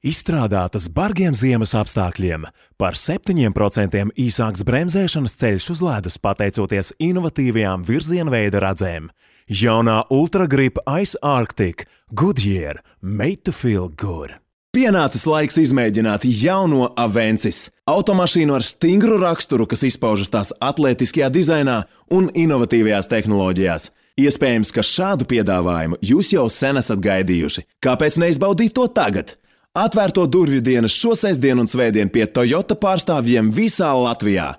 Izstrādātas bargiem ziemas apstākļiem, par 7% īsāks bremzēšanas ceļš uz ledus pateicoties inovatīvajām virzienveida radzēm. Jaunā Ultra Grip Ice Arctic Goodyear Made to Feel Good. Pienācis laiks izmēģināt jauno Avensis. Automašīnu ar stingru raksturu, kas izpaužas tās atlētiskajā dizainā un inovatīvajās tehnoloģijās. Iespējams, ka šādu piedāvājumu jūs jau sen esat gaidījuši. Kāpēc neizbaudīt to tagad? Atvērto durvju dienas šo sestdienu un svētdienu pie Toyota pārstāvjiem visā Latvijā.